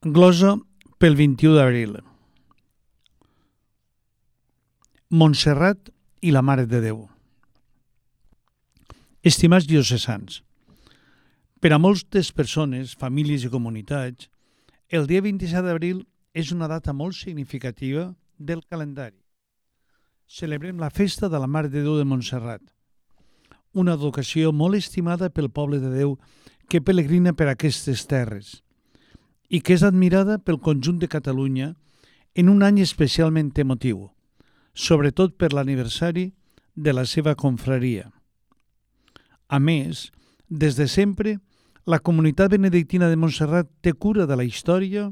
Glosa pel 21 d'abril. Montserrat i la Mare de Déu. Estimats diocesans, per a moltes persones, famílies i comunitats, el dia 27 d'abril és una data molt significativa del calendari. Celebrem la festa de la Mare de Déu de Montserrat, una advocació molt estimada pel poble de Déu que pelegrina per aquestes terres i que és admirada pel conjunt de Catalunya en un any especialment emotiu, sobretot per l'aniversari de la seva confraria. A més, des de sempre, la comunitat benedictina de Montserrat té cura de la història,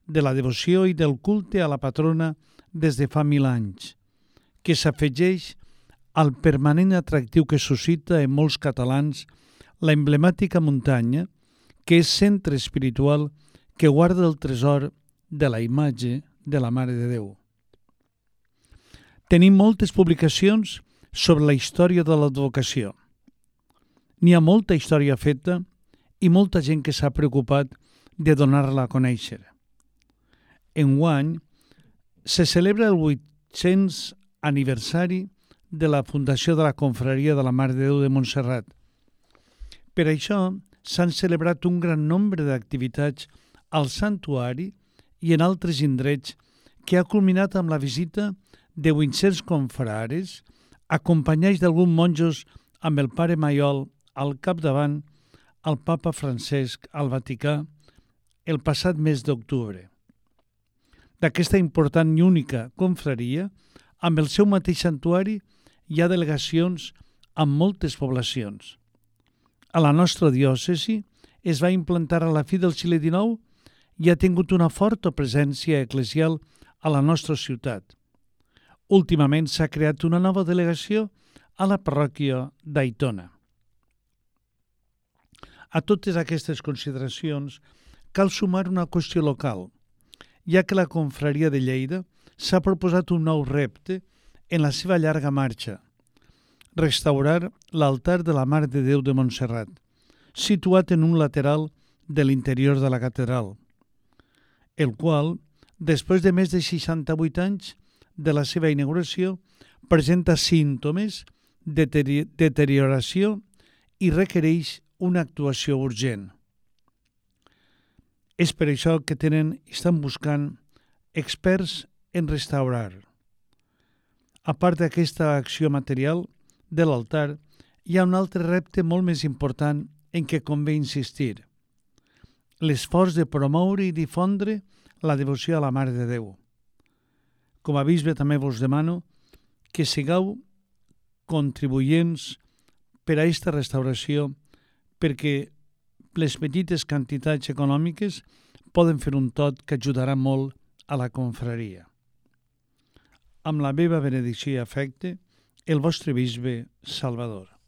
de la devoció i del culte a la patrona des de fa 1000 anys, que s'afegeix al permanent atractiu que suscita en molts catalans la emblemàtica muntanya, que és centre espiritual que guarda el tresor de la imatge de la Mare de Déu. Tenim moltes publicacions sobre la història de l'advocació. N'hi ha molta història feta i molta gent que s'ha preocupat de donar-la a conèixer. Enguany se celebra el 800 aniversari de la fundació de la confraria de la Mare de Déu de Montserrat. Per això s'han celebrat un gran nombre d'activitats al santuari i en altres indrets que ha culminat amb la visita de 800 confrares acompanyats d'alguns monjos amb el pare Maiol al capdavant al papa Francesc al Vaticà el passat mes d'octubre. D'aquesta important i única confraria, amb el seu mateix santuari, hi ha delegacions amb moltes poblacions. A la nostra diòcesi es va implantar a la fi del segle XIX i ha tingut una forta presència eclesial a la nostra ciutat. Últimament s'ha creat una nova delegació a la parròquia d'Aitona. A totes aquestes consideracions cal sumar una qüestió local, ja que la confraria de Lleida s'ha proposat un nou repte en la seva llarga marxa: restaurar l'altar de la Mare de Déu de Montserrat, situat en un lateral de l'interior de la catedral, el qual, després de més de 68 anys de la seva inauguració, presenta símptomes de deterioració i requereix una actuació urgent. És per això que estan buscant experts en restaurar. A part d'aquesta acció material de l'altar, hi ha un altre repte molt més important en què convé insistir: l'esforç de promoure i difondre la devoció a la Mare de Déu. Com a bisbe també vos demano que sigueu contribuents per a aquesta restauració, perquè les petites quantitats econòmiques poden fer un tot que ajudarà molt a la confraria. Amb la meva benedicció i afecte, el vostre bisbe Salvador.